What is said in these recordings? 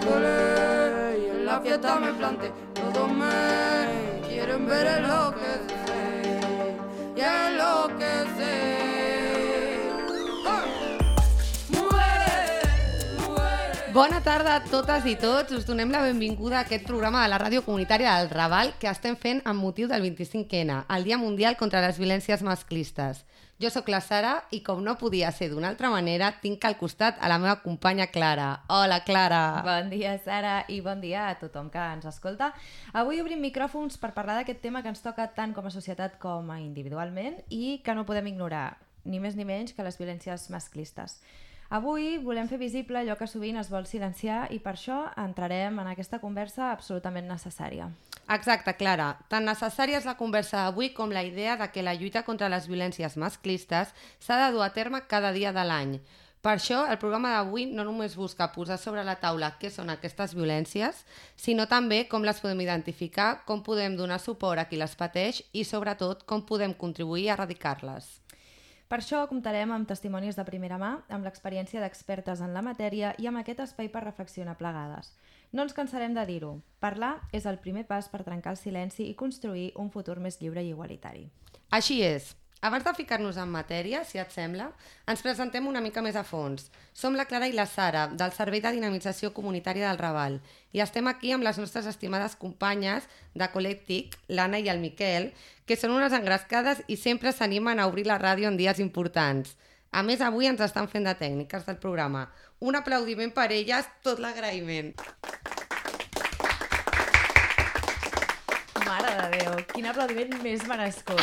colé y en la fiesta me planté. Todos me quieren ver enloquecer y enloquecer. Bona tarda a totes i tots. Us donem la benvinguda a aquest programa de la ràdio comunitària del Raval que estem fent amb motiu del 25N, el Dia Mundial contra les Violències Masclistes. Jo sóc la Sara i, com no podia ser d'una altra manera, tinc al costat a la meva companya Clara. Hola, Clara! Bon dia, Sara, i bon dia a tothom que ens escolta. Avui obrim micròfons per parlar d'aquest tema que ens toca tant com a societat com a individualment i que no podem ignorar, ni més ni menys que les violències masclistes. Avui volem fer visible allò que sovint es vol silenciar i per això entrarem en aquesta conversa absolutament necessària. Exacte, Clara. Tan necessària és la conversa d'avui com la idea de que la lluita contra les violències masclistes s'ha de dur a terme cada dia de l'any. Per això, el programa d'avui no només busca posar sobre la taula què són aquestes violències, sinó també com les podem identificar, com podem donar suport a qui les pateix i, sobretot, com podem contribuir a erradicar-les. Per això comptarem amb testimonis de primera mà, amb l'experiència d'expertes en la matèria i amb aquest espai per reflexionar plegades. No ens cansarem de dir-ho. Parlar és el primer pas per trencar el silenci i construir un futur més lliure i igualitari. Així és. Abans de ficar-nos en matèria, si et sembla, ens presentem una mica més a fons. Som la Clara i la Sara, del Servei de Dinamització Comunitària del Raval, i estem aquí amb les nostres estimades companyes de Col·lectic, l'Anna i el Miquel, que són unes engrescades i sempre s'animen a obrir la ràdio en dies importants. A més, avui ens estan fent de tècniques del programa. Un aplaudiment per elles, tot l'agraïment. Mare de Déu, quin aplaudiment més merescut.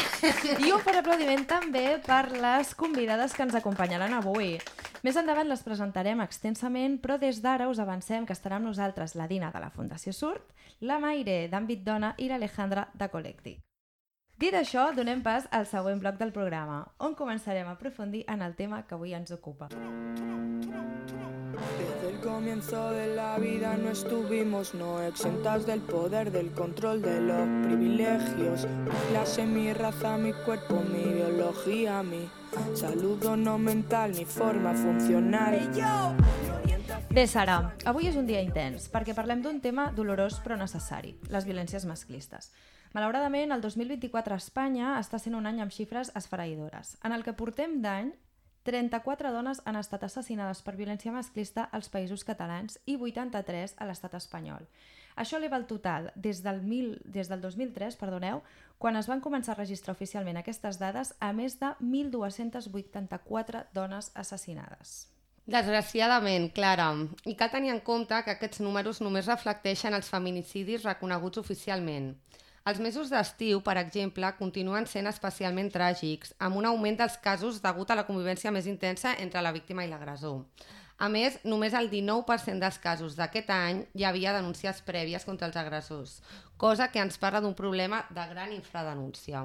I un fort aplaudiment també per les convidades que ens acompanyaran avui. Més endavant les presentarem extensament, però des d'ara us avancem que estarà amb nosaltres la Dina de la Fundació Surt, la Maire d'Àmbit Dona i l'Alejandra de Col·lectic. Dit això, donem pas al següent bloc del programa, on començarem a aprofundir en el tema que avui ens ocupa. Desde el comienzo de la vida no estuvimos no exentas del poder, del control de los privilegios. Mi clase, mi raza, mi cuerpo, mi biología, mi salud no mental, mi forma funcional. Bé, Sara, avui és un dia intens perquè parlem d'un tema dolorós però necessari, les violències masclistes. Malauradament, el 2024 a Espanya està sent un any amb xifres esfereïdores. En el que portem d'any, 34 dones han estat assassinades per violència masclista als Països Catalans i 83 a l'estat espanyol. Això eleva el total des del 2003, quan es van començar a registrar oficialment aquestes dades, a més de 1.284 dones assassinades. Desgraciadament, Clara. I cal tenir en compte que aquests números només reflecteixen els feminicidis reconeguts oficialment. Els mesos d'estiu, per exemple, continuen sent especialment tràgics, amb un augment dels casos degut a la convivència més intensa entre la víctima i l'agressor. A més, només el 19% dels casos d'aquest any hi havia denúncies prèvies contra els agressors, cosa que ens parla d'un problema de gran infradenúncia.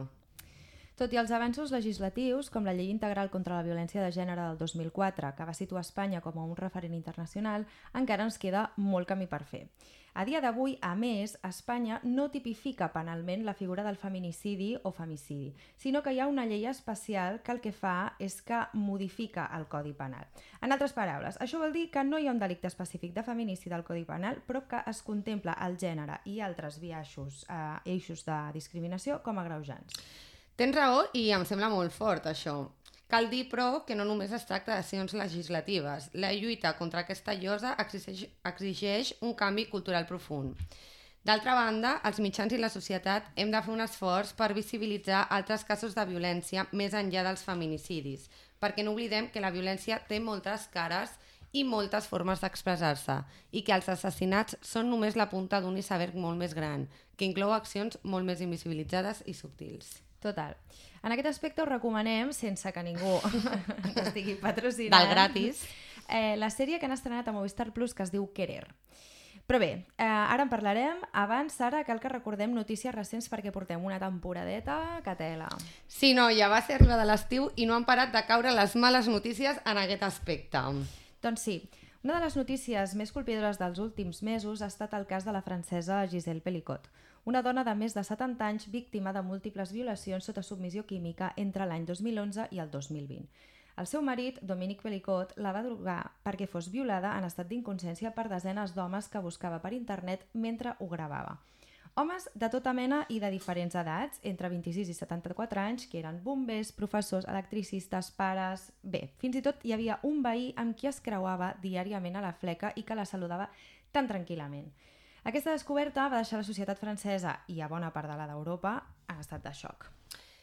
Tot i els avanços legislatius, com la Llei Integral contra la Violència de Gènere del 2004, que va situar Espanya com a un referent internacional, encara ens queda molt camí per fer. A dia d'avui, a més, Espanya no tipifica penalment la figura del feminicidi o femicidi, sinó que hi ha una llei especial que el que fa és que modifica el Codi Penal. En altres paraules, això vol dir que no hi ha un delicte específic de feminicidi al Codi Penal, però que es contempla el gènere i altres eixos de discriminació com a agreujants. Tens raó i em sembla molt fort, això. Cal dir, però, que no només es tracta d'accions legislatives. La lluita contra aquesta llosa exigeix un canvi cultural profund. D'altra banda, els mitjans i la societat hem de fer un esforç per visibilitzar altres casos de violència més enllà dels feminicidis, perquè no oblidem que la violència té moltes cares i moltes formes d'expressar-se, i que els assassinats són només la punta d'un iceberg molt més gran, que inclou accions molt més invisibilitzades i subtils. Total. En aquest aspecte us recomanem, sense que ningú ens estigui patrocinant, del gratis, la sèrie que han estrenat a Movistar Plus que es diu Querer. Però bé, ara en parlarem. Abans, Sara, cal que recordem notícies recents perquè portem una temporadeta que tela. Sí, no, ja va ser arribada l'estiu i no han parat de caure les males notícies en aquest aspecte. Doncs sí. Una de les notícies més colpidores dels últims mesos ha estat el cas de la francesa Gisèle Pelicot, una dona de més de 70 anys víctima de múltiples violacions sota submissió química entre l'any 2011 i el 2020. El seu marit, Dominique Pelicot, la va drogar perquè fos violada en estat d'inconsciència per desenes d'homes que buscava per internet mentre ho gravava. Homes de tota mena i de diferents edats, entre 26 i 74 anys, que eren bombers, professors, electricistes, pares... Bé, fins i tot hi havia un veí amb qui es creuava diàriament a la fleca i que la saludava tan tranquil·lament. Aquesta descoberta va deixar la societat francesa i a bona part de la d'Europa en estat de xoc.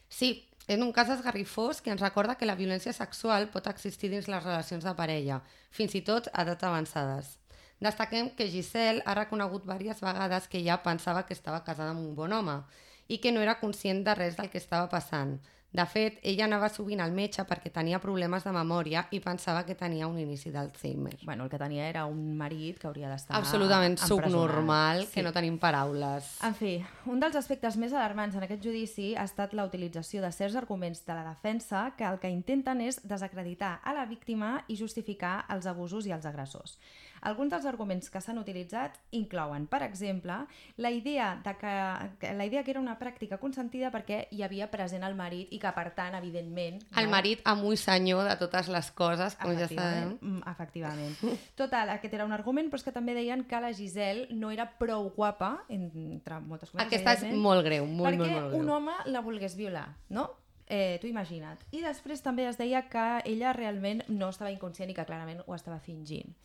Sí, és un cas esgarrifós que ens recorda que la violència sexual pot existir dins les relacions de parella, fins i tot a edats avançades. Destaquem que Giselle ha reconegut diverses vegades que ella pensava que estava casada amb un bon home i que no era conscient de res del que estava passant. De fet, ella anava sovint al metge perquè tenia problemes de memòria i pensava que tenia un inici d'Alzheimer. Bueno, el que tenia era un marit que hauria d'estar absolutament subnormal, sí. Que no tenim paraules. En fi, un dels aspectes més alarmants en aquest judici ha estat la utilització de certs arguments de la defensa que el que intenten és desacreditar a la víctima i justificar els abusos i els agressors. Alguns dels arguments que s'han utilitzat inclouen, per exemple, la idea que era una pràctica consentida perquè hi havia present el marit i que, per tant, evidentment... El marit amo i senyor de totes les coses, com ja sabem. Efectivament. Total, aquest era un argument, però és que també deien que la Giselle no era prou guapa, entre moltes coses. Aquesta és molt greu, molt greu. Perquè un home la volgués violar, no? Tu imagina't. I després també es deia que ella realment no estava inconscient i que clarament ho estava fingint.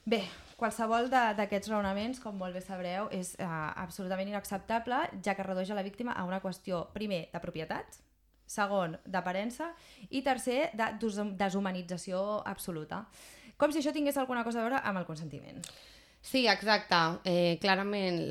Bé, qualsevol d'aquests raonaments, com molt bé sabreu, és absolutament inacceptable, ja que redueix a la víctima a una qüestió, primer, de propietat, segon, d'aparença i tercer, de deshumanització absoluta. Com si això tingués alguna cosa a veure amb el consentiment. Sí, exacte. Clarament,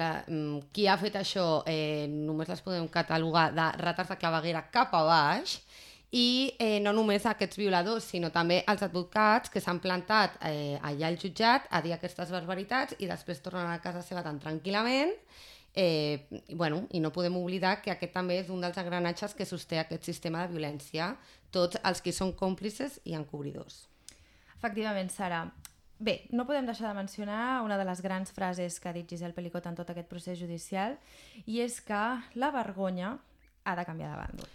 qui ha fet això només les podem catalogar de rates de claveguera cap a baix. I no només aquests violadors, sinó també els advocats que s'han plantat allà al jutjat a dir aquestes barbaritats i després tornen a casa seva tan tranquil·lament. I no podem oblidar que aquest també és un dels engranatges que sosté aquest sistema de violència, tots els que són còmplices i encobridors. Efectivament, Sara. Bé, no podem deixar de mencionar una de les grans frases que ha dit Giselle Pelicot en tot aquest procés judicial, i és que la vergonya ha de canviar de bàndol.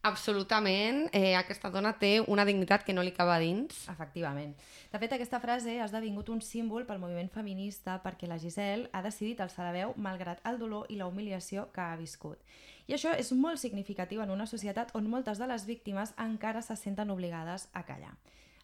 Absolutament, aquesta dona té una dignitat que no li cava dins. Efectivament. De fet, aquesta frase ha esdevingut un símbol pel moviment feminista perquè la Giselle ha decidit alçar la veu malgrat el dolor i la humiliació que ha viscut. I això és molt significatiu en una societat on moltes de les víctimes encara se senten obligades a callar.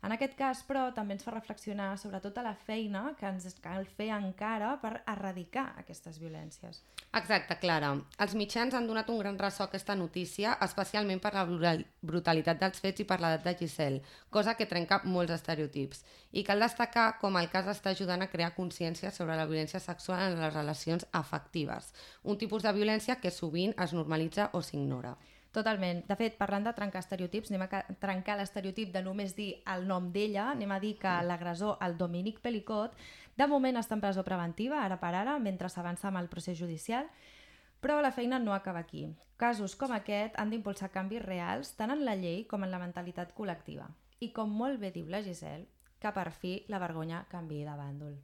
En aquest cas, però, també ens fa reflexionar sobre tota la feina que ens cal fer encara per erradicar aquestes violències. Exacte, Clara. Els mitjans han donat un gran ressò a aquesta notícia, especialment per la brutalitat dels fets i per l'edat de Giselle, cosa que trenca molts estereotips. I cal destacar com el cas està ajudant a crear consciència sobre la violència sexual en les relacions afectives, un tipus de violència que sovint es normalitza o s'ignora. Totalment. De fet, parlant de trencar estereotips, anem a trencar l'estereotip de només dir el nom d'ella, anem a dir que l'agressor, el Dominique Pelicot, de moment està en presó preventiva, ara per ara, mentre s'avança amb el procés judicial, però la feina no acaba aquí. Casos com aquest han d'impulsar canvis reals tant en la llei com en la mentalitat col·lectiva. I com molt bé diu la Giselle, que per fi la vergonya canviï de bàndol.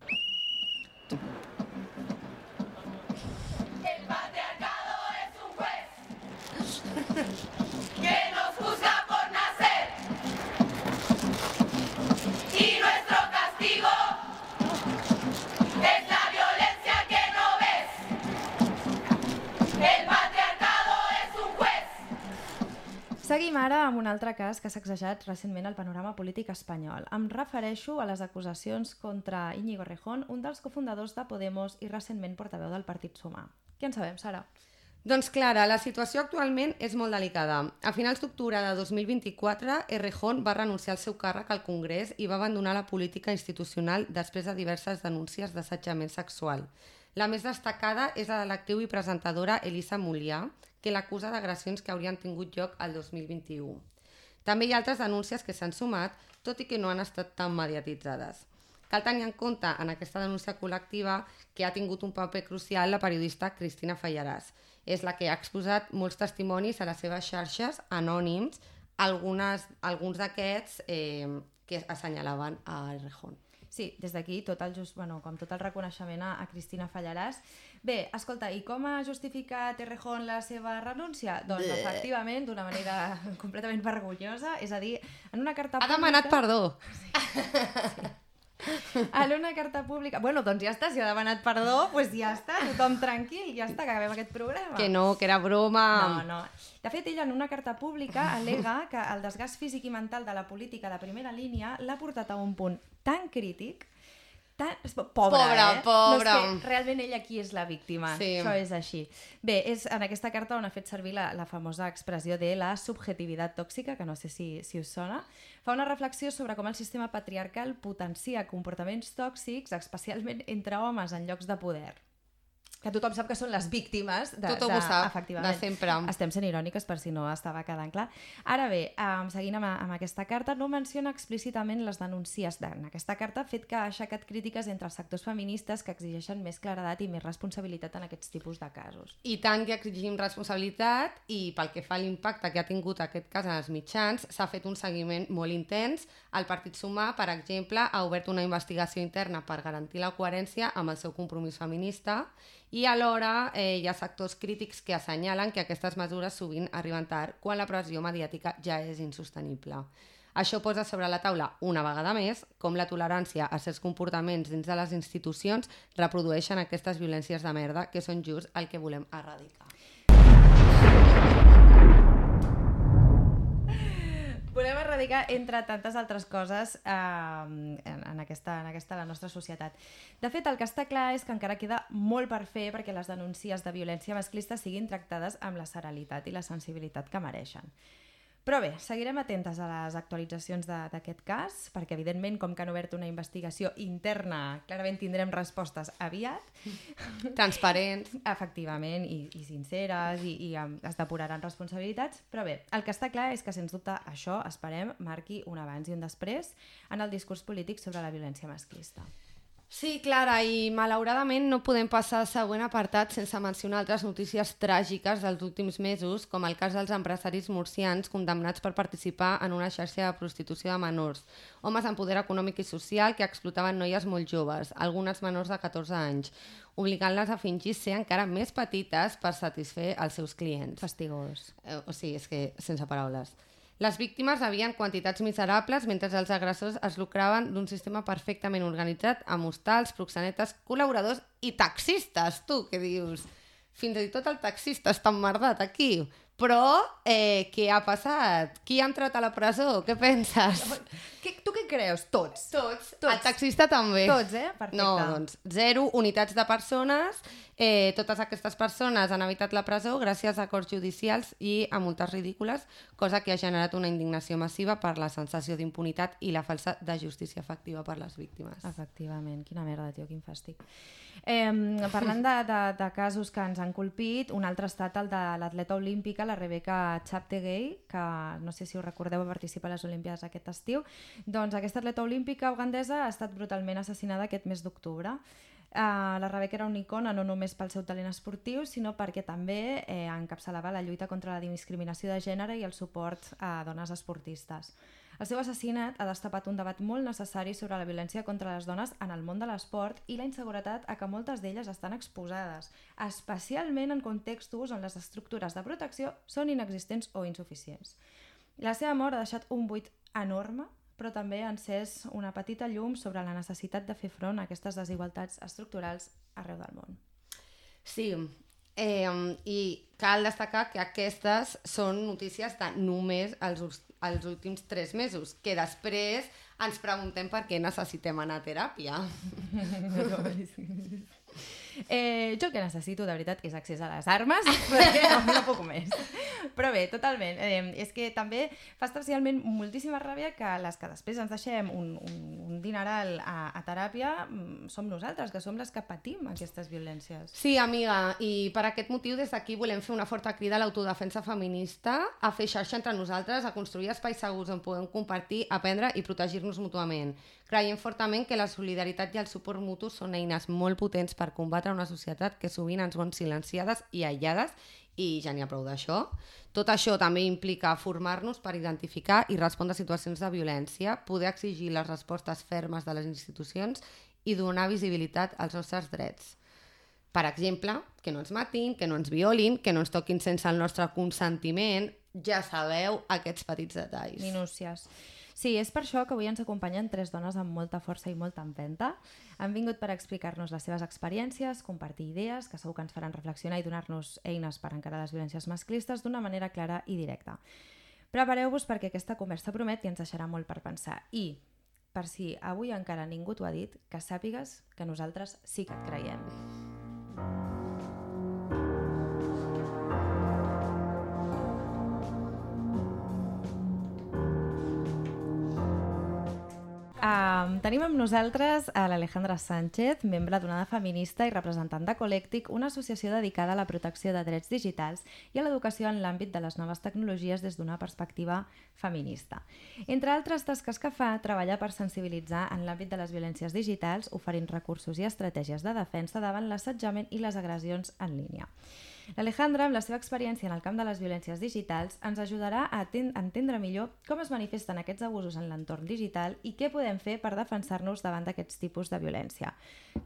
Que nos juzga por nacer y nuestro castigo es la violencia que no ves. El patriarcado es un juez. Seguim ara amb un altre cas que s'ha sacsejat recentment al panorama polític espanyol. Em refereixo a les acusacions contra Íñigo Errejón, un dels cofundadors de Podemos i recentment portaveu del Partit Sumar. Què en sabem, Sara? Doncs Clara, la situació actualment és molt delicada. A finals d'octubre de 2024, Errejón va renunciar al seu càrrec al Congrés i va abandonar la política institucional després de diverses denúncies d'assetjament sexual. La més destacada és la de l'actriu i presentadora Elisa Mulià, que l'acusa d'agressions que haurien tingut lloc al 2021. També hi ha altres denúncies que s'han sumat, tot i que no han estat tan mediatitzades. Cal tenir en compte en aquesta denúncia col·lectiva que ha tingut un paper crucial la periodista Cristina Fallaràs. És la que ha exposat molts testimonis a les seves xarxes anònims, alguns d'aquests que assenyalaven a Errejón. Sí, des d'aquí com tot el reconeixement a Cristina Fallaràs. Bé, escolta, i com ha justificat Errejón la seva renúncia? Doncs efectivament, d'una manera completament vergonyosa, és a dir, en una carta pública... Ha demanat perdó. Sí. En una carta pública... Bueno, doncs ja està, si ha demanat perdó, doncs ja està, tothom tranquil, ja està, que acabem aquest programa. Que no, que era broma. No. De fet, ella en una carta pública al·lega que el desgast físic i mental de la política de primera línia l'ha portat a un punt tan crític, pobra. No, és que realment ella aquí és la víctima, Això és així. Bé, és en aquesta carta on ha fet servir la famosa expressió de la subjetivitat tòxica, que no sé si us sona. Fa una reflexió sobre com el sistema patriarcal potencia comportaments tòxics, especialment entre homes en llocs de poder. Que tothom sap que són les víctimes tothom ho sap, efectivament. de sempre. Estem sent iròniques per si no estava quedant clar. Ara bé, seguint amb aquesta carta, no menciona explícitament les denúncies en aquesta carta, fet que ha aixecat crítiques entre els sectors feministes que exigeixen més claredat i més responsabilitat en aquests tipus de casos. I tant que exigim responsabilitat, i pel que fa a l'impacte que ha tingut aquest cas en els mitjans, s'ha fet un seguiment molt intens. El Partit Sumar, per exemple, ha obert una investigació interna per garantir la coherència amb el seu compromís feminista, i alhora hi ha sectors crítics que assenyalen que aquestes mesures sovint arriben tard quan la pressió mediàtica ja és insostenible. Això posa sobre la taula, una vegada més, com la tolerància a certs comportaments dins de les institucions reprodueixen aquestes violències de merda que són just el que volem erradicar. Volem erradicar, entre tantes altres coses, en aquesta la nostra societat. De fet, el que està clar és que encara queda molt per fer perquè les denúncies de violència masclista siguin tractades amb la serenitat i la sensibilitat que mereixen. Però bé, seguirem atentes a les actualitzacions d'aquest cas, perquè evidentment, com que han obert una investigació interna, clarament tindrem respostes aviat. Transparents. Efectivament, i sinceres, i es depuraran responsabilitats. Però bé, el que està clar és que, sens dubte, això, esperem, marqui un abans i un després en el discurs polític sobre la violència masclista. Sí, Clara, i malauradament no podem passar al següent apartat sense mencionar altres notícies tràgiques dels últims mesos, com el cas dels empresaris murcians condemnats per participar en una xarxa de prostitució de menors, homes amb poder econòmic i social que explotaven noies molt joves, algunes menors de 14 anys, obligant-les a fingir ser encara més petites per satisfer els seus clients. Fastigós. O sigui, és que sense paraules. Les víctimes rebien quantitats miserables mentre els agressors es lucraven d'un sistema perfectament organitzat amb hostals, proxenetes, col·laboradors i taxistes. Tu, què dius? Fins i tot el taxista està emmerdat aquí. Però, què ha passat? Qui ha entrat a la presó? Què penses? Tu què creus? Tots. El taxista també. Tots, perfecte. No, doncs, 0 unitats de persones. Totes aquestes persones han evitat la presó gràcies a acords judicials i a multes ridícules, cosa que ha generat una indignació massiva per la sensació d'impunitat i la falsa de justícia efectiva per les víctimes. Efectivament, quina merda, tio, quin fàstic. Parlant de casos que ens han colpit, un altre ha estat el de l'atleta olímpica, la Rebecca Cheptegei, que no sé si us recordeu, va participar a les Olimpiades aquest estiu. Doncs aquesta atleta olímpica ugandesa ha estat brutalment assassinada aquest mes d'octubre. La Rebecca era una icona no només pel seu talent esportiu, sinó perquè també encapçalava la lluita contra la discriminació de gènere i el suport a dones esportistes. El seu assassinat ha destapat un debat molt necessari sobre la violència contra les dones en el món de l'esport i la inseguretat a què moltes d'elles estan exposades, especialment en contextos on les estructures de protecció són inexistents o insuficients. La seva mort ha deixat un buit enorme, però també ha encès una petita llum sobre la necessitat de fer front a aquestes desigualtats estructurals arreu del món. Sí, i cal destacar que aquestes són notícies de només els últims 3 mesos, que després ens preguntem per què necessitem anar a teràpia. Jo el que necessito, de veritat, és accés a les armes, perquè no puc més. Però bé, totalment. És que també fa especialment moltíssima ràbia que les que després ens deixem un dineral a teràpia som nosaltres, que som les que patim aquestes violències. Sí, amiga, i per aquest motiu des d'aquí volem fer una forta crida a l'autodefensa feminista, a fer xarxa entre nosaltres, a construir espais segurs on podem compartir, aprendre i protegir-nos mútuament. Creiem fortament que la solidaritat i el suport mutu són eines molt potents per combatre combatre una societat que sovint ens vol silenciades i aïllades, i ja n'hi ha prou d'això. Tot això també implica formar-nos per identificar i respondre a situacions de violència, poder exigir les respostes fermes de les institucions i donar visibilitat als nostres drets. Per exemple, que no ens matin, que no ens violin, que no ens toquin sense el nostre consentiment. Ja sabeu, aquests petits detalls. Minúcies. Sí, és per això que avui ens acompanyen 3 dones amb molta força i molta empenta. Han vingut per explicar-nos les seves experiències, compartir idees, que segur que ens faran reflexionar i donar-nos eines per encarar les violències masclistes d'una manera clara i directa. Prepareu-vos perquè aquesta conversa promet i ens deixarà molt per pensar. I, per si avui encara ningú t'ho ha dit, que sàpigues que nosaltres sí que et creiem. Tenim amb nosaltres a l'Alejandra Sánchez, membre d'Onada Feminista i representant de Colèctic, una associació dedicada a la protecció de drets digitals i a l'educació en l'àmbit de les noves tecnologies des d'una perspectiva feminista. Entre altres tasques que fa, treballa per sensibilitzar en l'àmbit de les violències digitals, oferint recursos i estratègies de defensa davant l'assetjament i les agressions en línia. L'Alejandra, amb la seva experiència en el camp de les violències digitals, ens ajudarà a entendre millor com es manifesten aquests abusos en l'entorn digital i què podem fer per defensar-nos davant d'aquests tipus de violència.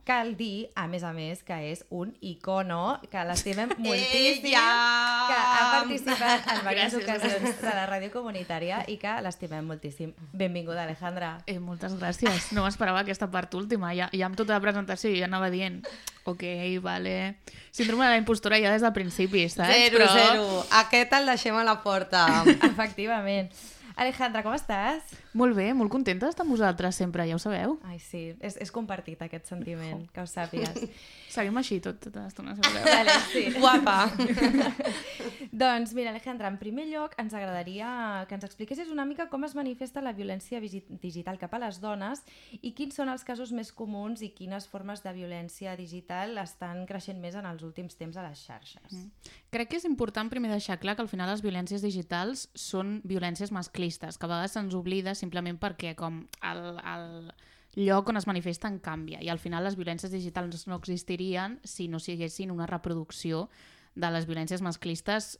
Cal dir, a més, que és un icono, que l'estimem moltíssim, que ha participat en diverses ocasions de la ràdio comunitària i que l'estimem moltíssim. Benvinguda, Alejandra. Moltes gràcies. No m'esperava aquesta part última. Ja amb tota la presentació ja anava dient ok, vale. Síndrome de la impostora ja des del principi, saps? Zero. Aquest el deixem a la porta. Efectivament. Alejandra, com estàs? Molt bé, molt contenta d'estar amb vosaltres sempre, ja ho sabeu. Ai, sí, és compartit aquest sentiment, que ho sàpigues. Seguim així tota l'estona, si voleu. Vale, sí. Guapa. Doncs mira, Alejandra, en primer lloc ens agradaria que ens expliquessis una mica com es manifesta la violència digital cap a les dones i quins són els casos més comuns i quines formes de violència digital estan creixent més en els últims temps a les xarxes. Crec que és important primer deixar clar que al final les violències digitals són violències masclistes, que a vegades se'ns oblida simplement perquè com el lloc on es manifesten canvia i al final les violències digitals no existirien si no siguessin una reproducció de les violències masclistes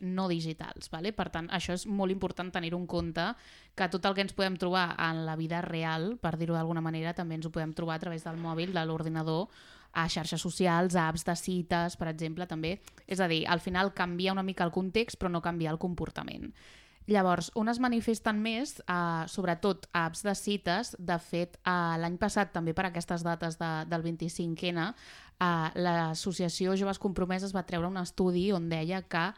no digitals. Vale? Per tant, això és molt important tenir-ho en compte, que tot el que ens podem trobar en la vida real, per dir-ho d'alguna manera, també ens ho podem trobar a través del mòbil, de l'ordinador, a xarxes socials, a apps de cites, per exemple, també. És a dir, al final canvia una mica el context, però no canvia el comportament. Llavors, on es manifesten més, sobretot a apps de cites, de fet, l'any passat, també per aquestes dates del 25N, l'Associació Joves Compromeses va treure un estudi on deia que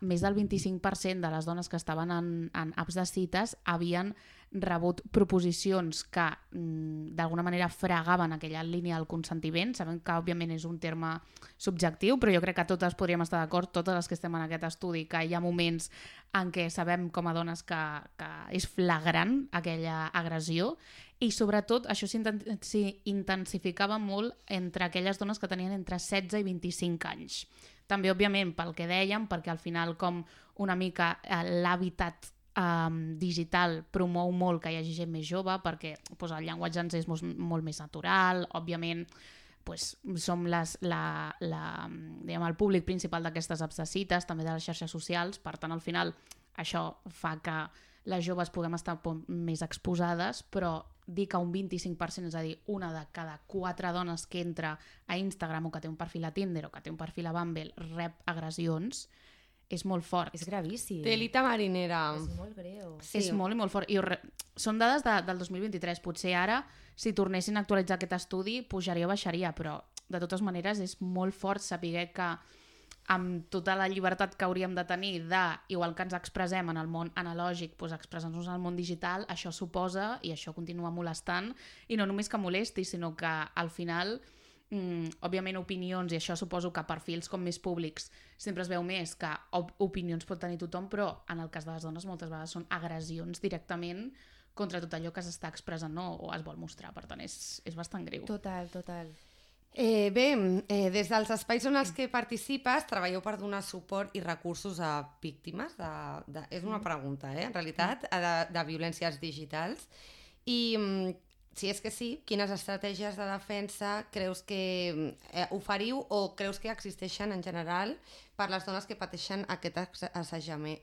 més del 25% de les dones que estaven en apps de cites havien rebut proposicions que d'alguna manera fregaven aquella línia del consentiment. Sabem que òbviament és un terme subjectiu, però jo crec que totes podríem estar d'acord, totes les que estem en aquest estudi, que hi ha moments en què sabem com a dones que és flagrant aquella agressió i sobretot això s'intensificava molt entre aquelles dones que tenien entre 16 i 25 anys. També, òbviament, pel que dèiem, perquè al final com una mica l'hàbitat digital promou molt que hi hagi gent més jove perquè el llenguatge ens és molt més natural, òbviament som el públic principal d'aquestes apps de cites, també de les xarxes socials, per tant al final això fa que les joves puguem estar més exposades, però dir que un 25%, és a dir, una de cada 4 dones que entra a Instagram o que té un perfil a Tinder o que té un perfil a Bumble rep agressions, és molt fort. És gravíssim. Telita marinera. És molt greu. Sí. És molt i molt fort. Són dades del 2023. Potser ara, si tornessin a actualitzar aquest estudi, pujaria o baixaria, però de totes maneres és molt fort saber que amb tota la llibertat que hauríem de tenir igual que ens expressem en el món analògic, expressar-nos en el món digital, això suposa, i això continua molestant, i no només que molesti, sinó que al final òbviament opinions, i això suposo que perfils com més públics sempre es veu més que opinions pot tenir tothom, però en el cas de les dones moltes vegades són agressions directament contra tot allò que s'està expressant o es vol mostrar, per tant és bastant greu. Total. Des dels espais en els que participes treballeu per donar suport i recursos a víctimes és una pregunta, en realitat, de violències digitals, i si és que sí, quines estratègies de defensa creus que oferiu o creus que existeixen en general per les dones que pateixen aquest assetjament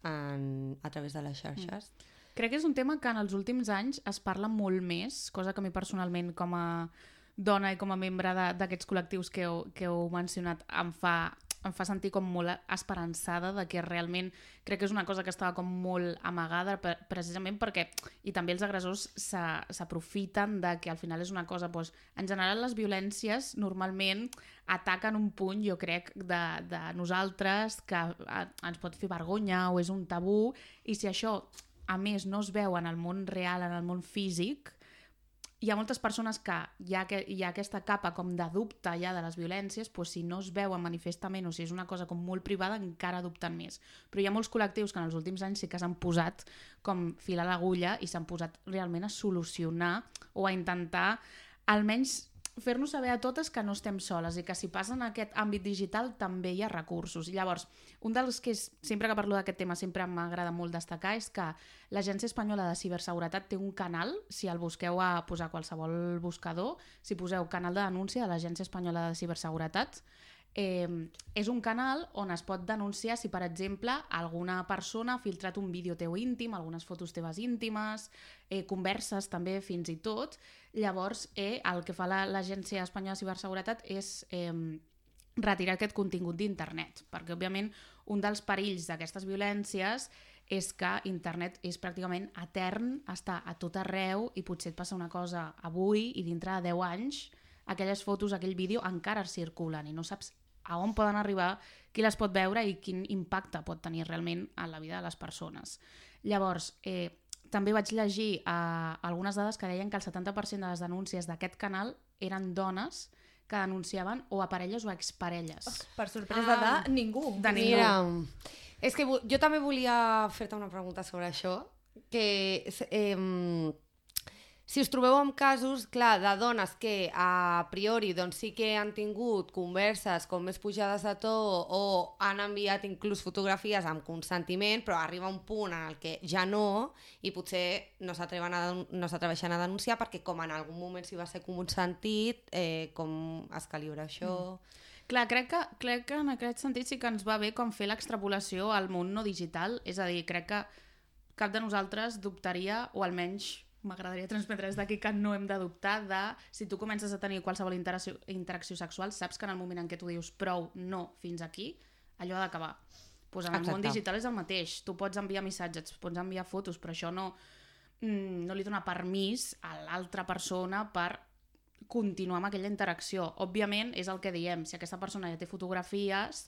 a través de les xarxes? Crec que és un tema que en els últims anys es parla molt més, cosa que a mi personalment com a dona i com a membre d'aquests col·lectius que heu mencionat em fa sentir com molt esperançada de que realment crec que és una cosa que estava com molt amagada precisament perquè, i també els agressors s'aprofiten de que al final és una cosa, doncs, en general les violències normalment ataquen un punt, jo crec, de nosaltres que ens pot fer vergonya o és un tabú, i si això a més no es veu en el món real, en el món físic, hi ha moltes persones que hi ha aquesta capa com de dubte ja de les violències, doncs si no es veuen manifestament o si és una cosa com molt privada encara dubten més. Però hi ha molts col·lectius que en els últims anys sí que s'han posat com fil a l'agulla i s'han posat realment a solucionar o a intentar almenys fer-nos saber a totes que no estem soles i que si passa en aquest àmbit digital també hi ha recursos. I llavors, un dels que sempre que parlo d'aquest tema sempre m'agrada molt destacar és que l'Agència Espanyola de Ciberseguretat té un canal, si el busqueu a posar qualsevol buscador, si poseu canal de denúncia de l'Agència Espanyola de Ciberseguretat, és un canal on es pot denunciar si, per exemple, alguna persona ha filtrat un vídeo teu íntim, algunes fotos teves íntimes, converses també fins i tot. Llavors, el que fa l'Agència Espanyola de Ciberseguretat és retirar aquest contingut d'internet, perquè, òbviament, un dels perills d'aquestes violències és que internet és pràcticament etern, està a tot arreu i potser et passa una cosa avui i dintre de 10 anys aquelles fotos, aquell vídeo encara circulen i no saps a on poden arribar, qui les pot veure i quin impacte pot tenir realment en la vida de les persones. Llavors, també vaig llegir algunes dades que deien que el 70% de les denúncies d'aquest canal eren dones que denunciaven o a parelles o a exparelles. Per sorpresa de ningú. De ningú. Mira, és que jo també volia fer-te una pregunta sobre això, que si us trobeu amb casos, clar, de dones que a priori doncs, sí que han tingut converses com més pujades de to o han enviat inclús fotografies amb consentiment, però arriba un punt en el que ja no, i potser no s'atreveixen a denunciar perquè com en algun moment s'hi va ser consentit, com es calibra això... Clar, crec que en aquest sentit sí que ens va bé com fer l'extrapolació al món no digital, és a dir, crec que cap de nosaltres dubtaria, o almenys m'agradaria transmetre des d'aquí que no hem de dubtar de si tu comences a tenir qualsevol interacció sexual, saps que en el moment en què tu dius prou, no, fins aquí, allò ha d'acabar. Pues en el món digital és el mateix, tu pots enviar missatges, pots enviar fotos, però això no li dona permís a l'altra persona per continuar amb aquella interacció. Òbviament, és el que diem, si aquesta persona ja té fotografies,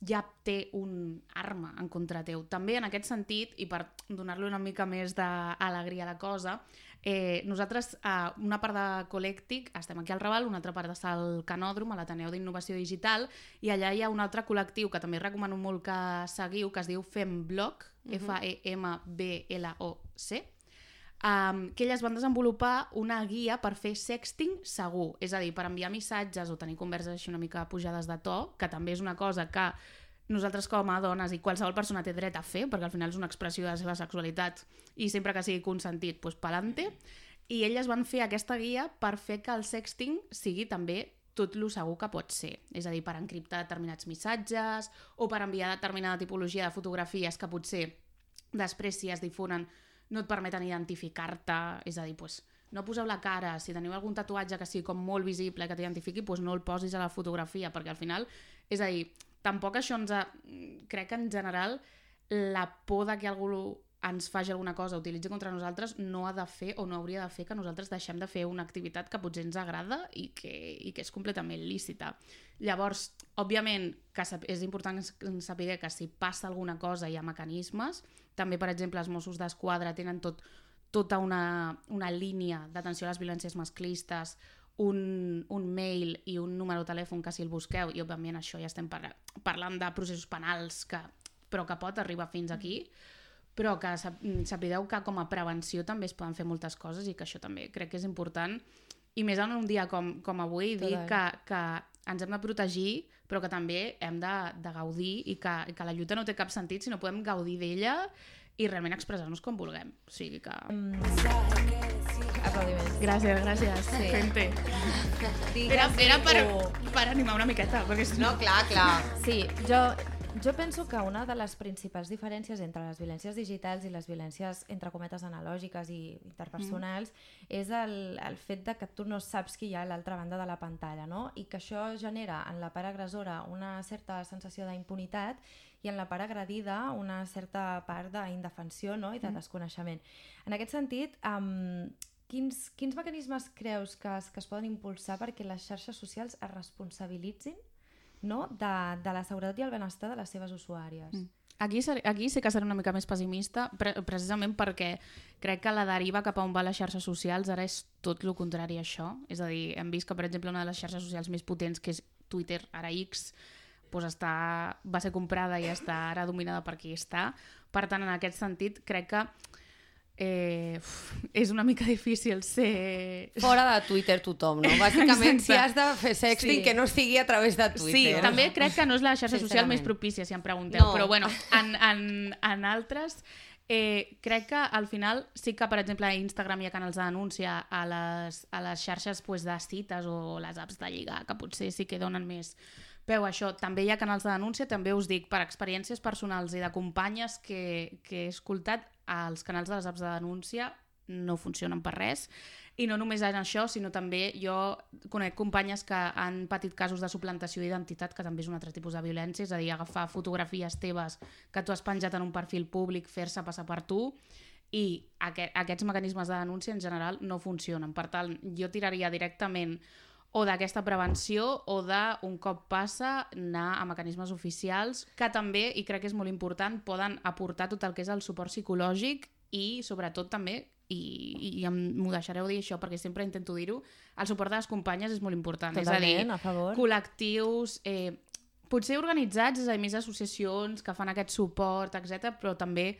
ja té un arma en contra teu. També en aquest sentit, i per donar-li una mica més d'alegria a la cosa, nosaltres, una part de Col·lèctic, estem aquí al Raval, una altra part està al Canòdrom, a l'Ateneu d'Innovació Digital, i allà hi ha un altre col·lectiu que també recomano molt que seguiu, que es diu Femblog, F-E-M-B-L-O-C, que elles van desenvolupar una guia per fer sexting segur, és a dir, per enviar missatges o tenir converses així una mica pujades de to, que també és una cosa que nosaltres com a dones i qualsevol persona té dret a fer, perquè al final és una expressió de la seva sexualitat i sempre que sigui consentit, doncs pa'lante, i elles van fer aquesta guia per fer que el sexting sigui també tot lo segur que pot ser, és a dir, per encriptar determinats missatges o per enviar determinada tipologia de fotografies que potser després si es difonen no et permeten identificar-te, és a dir, doncs, no poseu la cara, si teniu algun tatuatge que sigui com molt visible que t'identifiqui, doncs no el posis a la fotografia, perquè al final, és a dir, tampoc això crec que en general la por de que algú ens faci alguna cosa, utilitzi contra nosaltres, no ha de fer o no hauria de fer que nosaltres deixem de fer una activitat que potser ens agrada i que és completament lícita. Llavors, òbviament, és important saber que si passa alguna cosa hi ha mecanismes. També, per exemple, els Mossos d'Esquadra tenen tota una línia d'atenció a les violències masclistes, un mail i un número de telèfon que si el busqueu, i òbviament això ja estem parlant de processos penals, però que pot arribar fins aquí, però que sapigueu que com a prevenció també es poden fer moltes coses i que això també crec que és important, i més en un dia com avui, dir que ens hem de protegir, però que també hem de gaudir i que la lluita no té cap sentit si no podem gaudir d'ella i realment expressar-nos com vulguem. O sigui que... Aplaudiments. Gràcies. Sí. Gente. Digues Era tu. per animar una miqueta, perquè si No, clar. Sí, jo penso que una de les principals diferències entre les violències digitals i les violències, entre cometes, analògiques i interpersonals és el fet de que tu no saps qui hi ha a l'altra banda de la pantalla, no? I que això genera en la part agressora una certa sensació d'impunitat i en la part agredida una certa part d'indefensió, no? I de desconeixement. En aquest sentit, quins mecanismes creus que es poden impulsar perquè les xarxes socials es responsabilitzin, no? de la seguretat i el benestar de les seves usuàries? Aquí sí que seré una mica més pessimista, precisament perquè crec que la deriva cap a on va les xarxes socials ara és tot el contrari a això. És a dir, hem vist que, per exemple, una de les xarxes socials més potents, que és Twitter, ara X, doncs va ser comprada i està ara dominada per qui està. Per tant, en aquest sentit, crec que és una mica difícil ser... Fora de Twitter tothom, no? Bàsicament, si has de fer sexting, que no sigui a través de Twitter. Sí, també crec que no és la xarxa social més propícia, si em pregunteu. No. Però bueno, en altres... crec que al final sí que, per exemple, a Instagram hi ha canals de denúncia a les xarxes de cites o les apps de lligar, que potser sí que donen més peu a això. També hi ha canals de denúncia, també us dic, per experiències personals i de companyes que he escoltat, els canals de les apps de denúncia no funcionen per res. I no només en això, sinó també jo conec companyes que han patit casos de suplantació d'identitat, que també és un altre tipus de violència, és a dir, agafar fotografies teves que tu has penjat en un perfil públic, fer-se passar per tu, i aquests mecanismes de denúncia en general no funcionen. Per tant, jo tiraria directament o d'aquesta prevenció o d'un cop passa anar a mecanismes oficials que també, i crec que és molt important, poden aportar tot el que és el suport psicològic i sobretot també, i m'ho deixareu dir això perquè sempre intento dir-ho, el suport de les companyes és molt important. Totalment, és a dir, a favor. Col·lectius, potser organitzats, és a dir, més associacions que fan aquest suport, etc, però també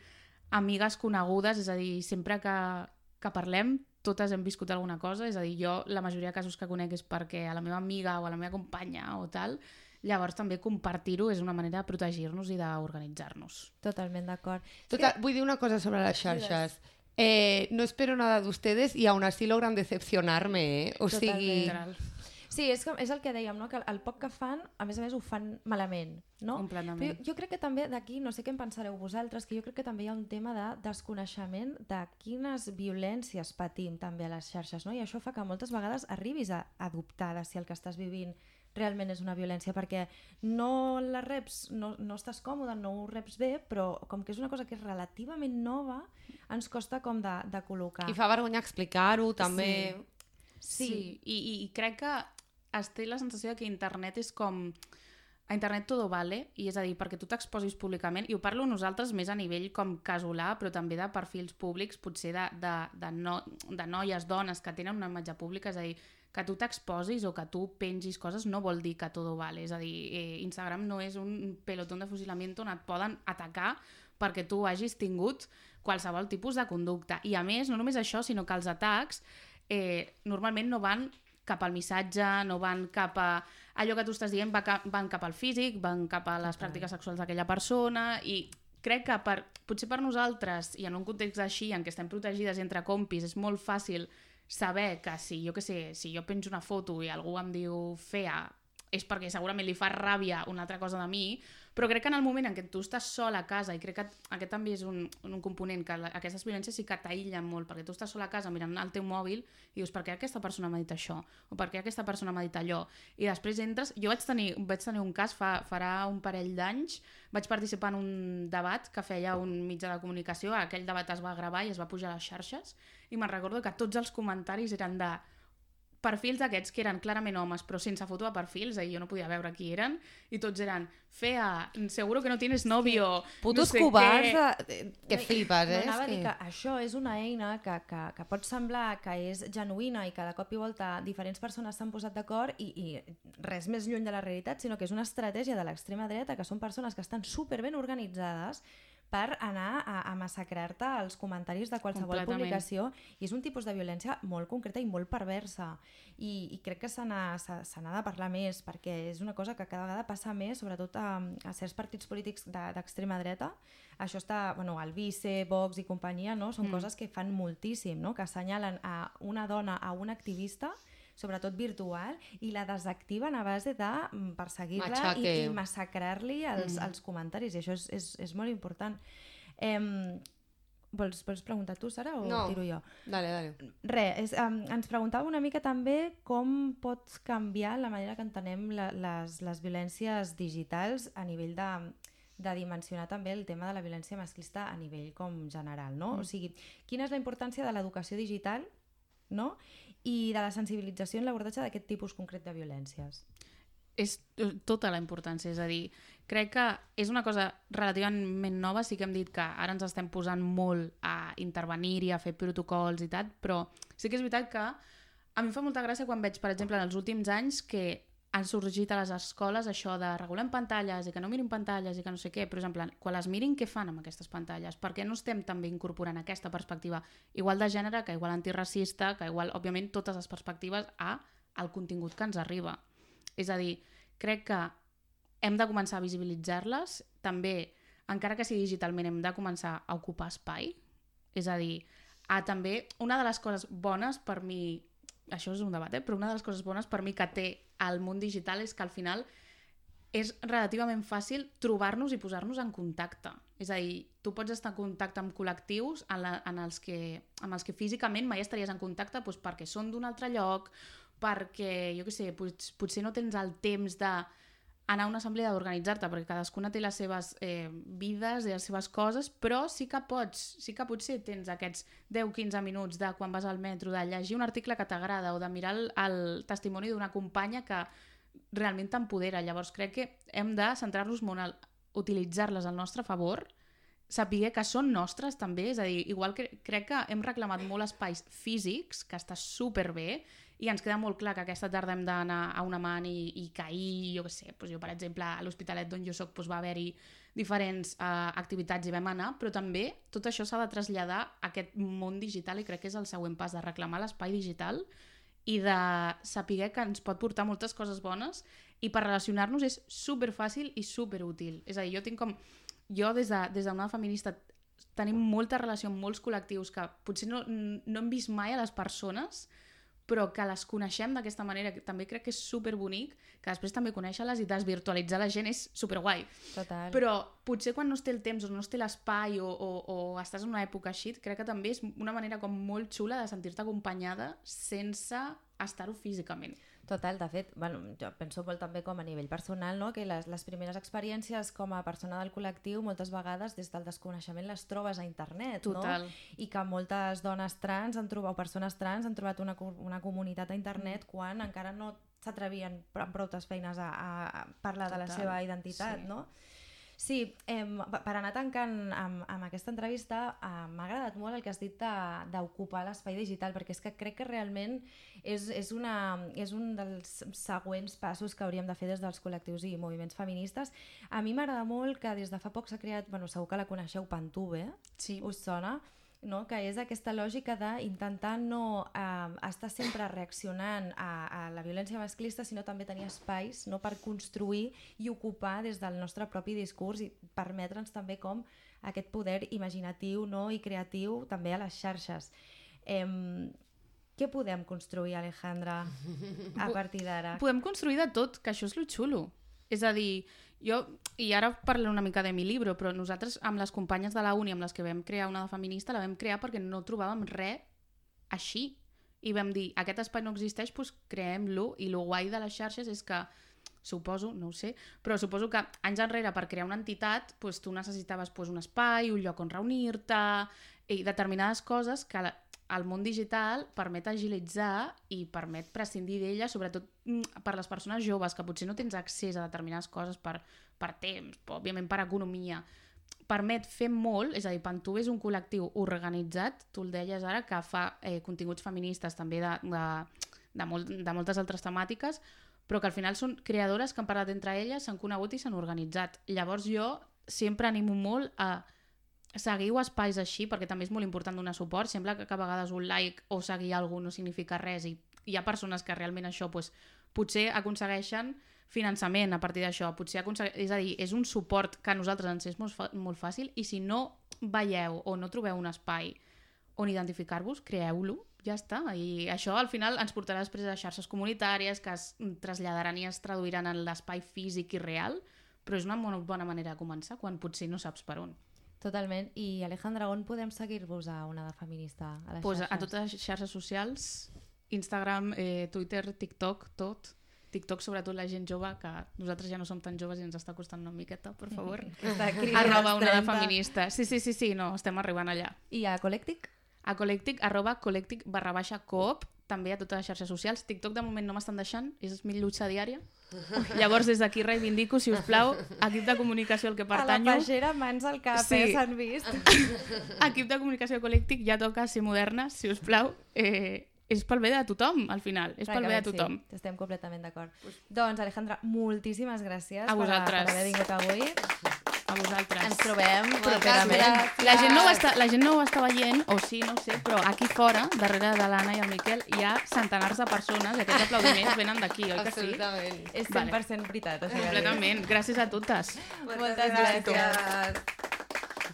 amigues conegudes, és a dir, sempre que parlem, totes hem viscut alguna cosa, és a dir, jo la majoria de casos que conec és perquè a la meva amiga o a la meva companya o tal, llavors també compartir-ho és una manera de protegir-nos i d'organitzar-nos. Totalment d'acord. Vull dir una cosa sobre las xarxes. No espero nada de ustedes y aún así logran decepcionarme, O sigui... Sí, és el que dèiem, no? Que el poc que fan, a més ho fan malament, no? Completament. Però jo crec que també d'aquí, no sé què en pensareu vosaltres, que jo crec que també hi ha un tema de desconeixement de quines violències patim també a les xarxes, no? I això fa que moltes vegades arribis a dubtar de si el que estàs vivint realment és una violència, perquè no la reps, no estàs còmode, no ho reps bé, però com que és una cosa que és relativament nova, ens costa com de col·locar. I fa vergonya explicar-ho, també. Sí. I crec que es té la sensació que internet és com... A internet todo vale, i és a dir, perquè tu t'exposis públicament, i ho parlo nosaltres més a nivell com casolà, però també de perfils públics, potser de noies, dones que tenen una imatge pública, és a dir, que tu t'exposis o que tu pengis coses no vol dir que todo vale, és a dir, Instagram no és un pelotón de fusilamiento on et poden atacar perquè tu hagis tingut qualsevol tipus de conducta. I a més, no només això, sinó que els atacs normalment no van cap al missatge, no van cap a allò que tu estàs dient, van cap al físic, van cap a les pràctiques sexuals d'aquella persona, i crec que potser per nosaltres, i en un context així en què estem protegides entre compis, és molt fàcil saber que si jo penjo una foto i algú em diu fea, és perquè segurament li fa ràbia una altra cosa de mi, però crec que en el moment en què tu estàs sol a casa, i crec que aquest també és un component, que aquestes violències sí que t'aïllen molt, perquè tu estàs sol a casa mirant el teu mòbil i dius, per què aquesta persona m'ha dit això? O per què aquesta persona m'ha dit allò? I després entres... Jo vaig tenir un cas, farà un parell d'anys, vaig participar en un debat que feia un mitjà de comunicació, aquell debat es va gravar i es va pujar a les xarxes, i me'n recordo que tots els comentaris eren de perfils d'aquests que eren clarament homes però sense foto de perfils, jo no podia veure qui eren, i tots eren fea, seguro que no tienes novio, putos no sé covards que flipes, No, anava a dir que això és una eina que pot semblar que és genuïna i que de cop i volta diferents persones s'han posat d'acord i res més lluny de la realitat, sinó que és una estratègia de l'extrema dreta, que són persones que estan superben organitzades per anar a massacrar-te els comentaris de qualsevol Completament. publicació, i és un tipus de violència molt concreta i molt perversa, i crec que se n'ha de parlar més, perquè és una cosa que cada vegada passa més, sobretot a certs partits polítics d'extrema dreta. Això està, el Vice, Vox i companyia, no? Són coses que fan moltíssim, no? Que assenyalen a una dona, a una activista, sobretot virtual, i la desactiven a base de perseguir-la i massacrar-li els comentaris, i això és molt important. Vols preguntar tu, Sara, o No. tiro jo? Dale. Ens preguntava una mica també com pot canviar la manera que entenem les violències digitals a nivell de dimensionar també el tema de la violència masclista a nivell com general, no? O sigui, quina és la importància de l'educació digital, no? I de la sensibilització en l'abordatge d'aquest tipus concret de violències? És tota la importància, és a dir, crec que és una cosa relativament nova, sí que hem dit que ara ens estem posant molt a intervenir-hi, a fer protocols i tal, però sí que és veritat que a mi em fa molta gràcia quan veig, per exemple, en els últims anys que han sorgit a les escoles això de regulem pantalles i que no mirin pantalles i que no sé què, però, per exemple, quan les mirin, què fan amb aquestes pantalles? Per què no estem també incorporant aquesta perspectiva igual de gènere, que igual antiracista, que igual, òbviament, totes les perspectives al contingut que ens arriba? És a dir, crec que hem de començar a visibilitzar-les, també, encara que sigui digitalment, hem de començar a ocupar espai, és a dir, també, una de les coses bones per mi, això és un debat, però una de les coses bones per mi que té el món digital és que al final és relativament fàcil trobar-nos i posar-nos en contacte. És a dir, tu pots estar en contacte amb col·lectius amb els que físicament mai estaries en contacte perquè són d'un altre lloc, perquè, jo què sé, potser no tens el temps d'anar a una assemblea d'organitzar-te, perquè cadascuna té les seves vides i les seves coses, però sí que potser tens aquests 10-15 minuts de quan vas al metro, de llegir un article que t'agrada o de mirar el testimoni d'una companya que realment t'empodera. Llavors crec que hem de centrar-nos molt a utilitzar-les al nostre favor, saber que són nostres també, és a dir, igual que crec que hem reclamat molt espais físics, que està superbé, i ens queda molt clar que aquesta tarda hem d'anar a una man i que ahir, jo què sé, jo per exemple a l'Hospitalet d'on jo soc va haver-hi diferents activitats i vam anar, però també tot això s'ha de traslladar a aquest món digital i crec que és el següent pas, de reclamar l'espai digital i de saber que ens pot portar moltes coses bones, i per relacionar-nos és superfàcil i superútil. És a dir, jo des d'una feminista tenim molta relació amb molts col·lectius que potser no hem vist mai a les persones, però que les coneixem d'aquesta manera, que també crec que és superbonic, que després també conèixer-les i desvirtualitzar la gent és superguai. Total. Però potser quan no es té el temps o no es té l'espai o estàs en una època així, crec que també és una manera com molt xula de sentir-te acompanyada sense estar-ho físicament. Total, de fet, jo penso molt també com a nivell personal, no? Que les primeres experiències com a persona del col·lectiu moltes vegades des del desconeixement les trobes a internet, Total. no? I que moltes dones trans o persones trans han trobat una comunitat a internet quan encara no s'atrevien amb prou feines a parlar de la seva identitat, sí. no? Sí, per anar tancant amb aquesta entrevista, m'ha agradat molt el que has dit d'ocupar l'espai digital, perquè és que crec que realment és un dels següents passos que hauríem de fer des dels col·lectius i moviments feministes. A mi m'agrada molt que des de fa poc s'ha creat, segur que la coneixeu, Pantube, Sí. us sona? No? Que és aquesta lògica d'intentar no estar sempre reaccionant a la violència masclista, sinó també tenir espais, no, per construir i ocupar des del nostre propi discurs i permetre'ns també com aquest poder imaginatiu, no, i creatiu també a les xarxes. Què podem construir, Alejandra, a partir d'ara? Podem construir de tot, que això és lo xulo. És a dir, i ara parlo una mica de mi llibre, però nosaltres amb les companyes de la uni amb les que vam crear una de feminista la vam crear perquè no trobàvem res així. I vam dir, aquest espai no existeix, doncs creem-lo. I lo guai de les xarxes és que, suposo, no ho sé, però suposo que anys enrere per crear una entitat doncs tu necessitaves un espai, un lloc on reunir-te i determinades coses que el món digital permet agilitzar i permet prescindir d'ella, sobretot per les persones joves, que potser no tens accés a determinades coses per temps, òbviament per economia. Permet fer molt, és a dir, Pantube és un col·lectiu organitzat, tu el deies ara, que fa continguts feministes també de moltes altres temàtiques, però que al final són creadores que han parlat entre elles, s'han conegut i s'han organitzat. Llavors jo sempre animo molt a seguiu espais així, perquè també és molt important donar suport. Sembla que a vegades un like o seguir algú no significa res i hi ha persones que realment això potser aconsegueixen finançament a partir d'això. És a dir, és un suport que a nosaltres ens és molt fàcil i si no veieu o no trobeu un espai on identificar-vos, creeu-lo, ja està. I això al final ens portarà després a xarxes comunitàries que es traslladaran i es traduiran en l'espai físic i real, però és una molt bona manera de començar quan potser no saps per on. Totalment. I Alejandra, on podem seguir-vos a Onada Feminista? A les xarxes? A totes les xarxes socials, Instagram, Twitter, TikTok, tot. TikTok, sobretot la gent jove, que nosaltres ja no som tan joves i ens està costant una miqueta, per favor. @Onada Feminista. Sí, no, estem arribant allà. I a Collectic? A Collectic, @Collectic_coop, també a totes les xarxes socials. TikTok de moment no m'estan deixant, és mi lluita diària. Llavors des d'aquí reivindico, si us plau, equip de comunicació al que pertanyo. A la pagera, mans al cap, s'han vist. Equip de comunicació Collectic, ja toca ser moderna, si us plau. És pel bé de tothom, al final. És pel bé de tothom. Sí, estem completament d'acord. Doncs, Alejandra, moltíssimes gràcies per haver vingut avui. A vosaltres. Ens trobem properament. La gent no ho està veient, o sí, no ho sé, però aquí fora, darrere de l'Anna i el Miquel, hi ha centenars de persones i aquests aplaudiments venen d'aquí, oi que sí? Absolutament. És 100% veritat. Completament. Gràcies a totes. Moltes gràcies.